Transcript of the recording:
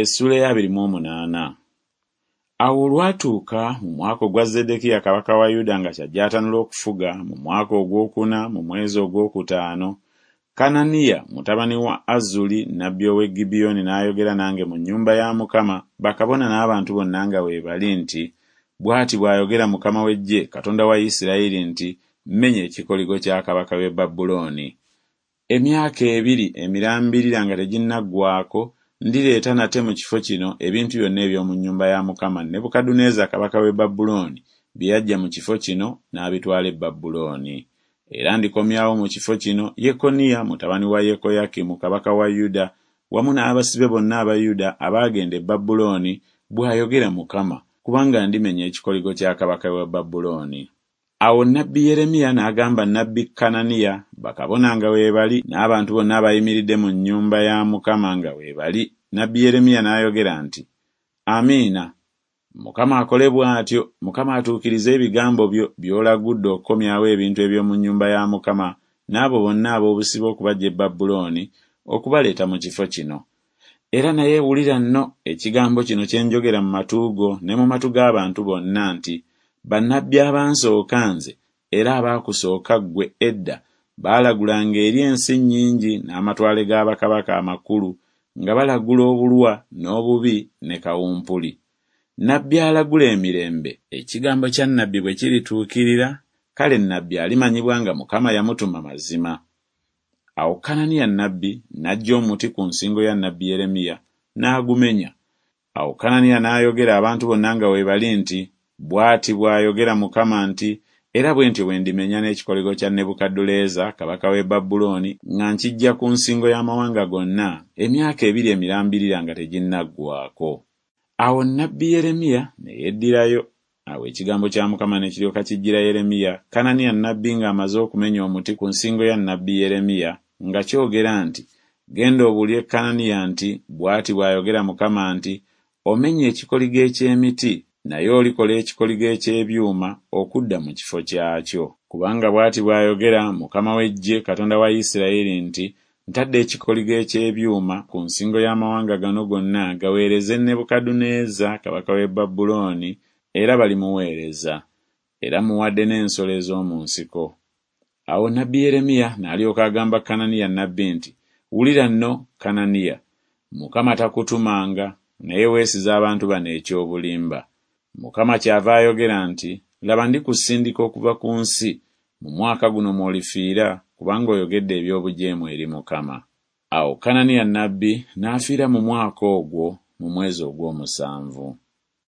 Essuula ey'abiri mu omunaana. Awo olwatuuka mu mwaka ogwa Zeddekiya kabaka wa Yuda nga kyajje atanula okufuga, mu mwaka ogw'okuna mu mwezi ogw'okutaano, Kananiya mutabani wa Azuli nnabbi ow'e Gibyoni n'ayogera nange mu nnyumba ya Mukama, bakabona n'abantu bonna nga weebali nti, Bw'ati bw'ayogera Mukama w'eggye, Katonda wa Isirayiri nti, Mmenya ekikoligo kya kabaka w'e Babulooni. Emyaka ebiri emirambirira nga teginnaggwaako, ndireeta nate mu kifo kino ebintu byonna eby'omu nnyumba ya Mukama Nebukadduneeza kabaka w'e Babulooni bye yaggya mu kifo kino n'abitwala e Babulooni. Era ndikomyawo mu kifo kino Yekoniya mutabani wa Yekoyakimu kabaka wa Yuda wamu n'abasibe bonna aba Yuda abaagenda e Babulooni, bw'ayogera Mukama, kubanga ndimenya ekikoligo kya kabaka w'e Babulooni. Awo nnabbi Yeremiya n'agamba nnabbi Kananiya, bakabona nga weebali, n'abantu bonna abayimiridde mu nnyumba ya Mukama nga weebali, nnabbi Yeremiya n'ayogera nti, Amiina! Mukama akole bw'atyo, Mukama atuukirize ebigambo byo by'olagudde okukomyawo ebintu eby'omu nnyumba ya Mukama n'abo bonna ab'obusibe okubaggya e Babulooni okubaleeta mu kifo kino. Era naye wulira nno ekigambo kino kye njogera mu matu go ne mu matu g'abantu bonna nti, Bannabbi abansooka nze era abaakusooka ggwe edda baalagulanga eri ensi nnyingi n'amatwale ga bakabaka amakulu nga balagula obulwa n'obubi ne kawumpuli. Nnabbi alagula emirembe, ekigambo kya nnabbi bwe kirituukirira, kale nnabbi alimanyibwa nga Mukama yamutuma mazima. Awo Kananiya nnabbi n'aggya omuti ku nsingo ya nnabbi Yeremiya, n'agumenya. Awo Kananiya n'ayogera abantu bonna nga weebali nti, Bw'ati bw'ayogera Mukama nti, Era bwe ntyo bwe ndimenya n'ekikoligo kya Nebukadduleeza kabaka w'e Babulooni nga nkiggya ku nsingo y'amawanga gonna, emyaka ebiri emirambirira nga teginnaggwaako. Awo nnabbi Yeremiya ne yeddirayo. Awo ekigambo kya Mukama ne kiryoka kijjira Yeremiya, Kananiya nnabbi ng'amaze okumenya omuti ku nsingo ya nnabbi Yeremiya, nga kyogera nti, Genda obuulire Kananiya nti, Bw'ati bw'ayogera Mukama nti, Omenye ekikoligo eky'emiti, naye olikola ekikoligo eky'ebyuma okudda mu kifo kyakyo. Kubanga bw'ati bw'ayogera Mukama w'eggye, Katonda wa Isirayiri nti, Ntadde ekikoligo eky'ebyuma ku nsingo y'amawanga gano gonna gaweereze Nebukadduneeza kabaka w'e Babulooni, era balimuweereza. Era mmuwadde n'ensolo ez'omu nsiko. Awo nnabbi Yeremiya n'alyoka agamba Kananiya nnabbi nti, Wulira nno, Kananiya, Mukama takutumanga, naye weesize abantu bano eky'obulimba. Mukama kyava ayogera nti, Laba ndikusindika okuva ku nsi, mu mwaka guno mw'olifiira, kubanga oyogedde eby'obujeemu eri Mukama. Awo Kananiya nnabbi n'afiira mu mwaka ogwo mu mwezi ogw'omusanvu.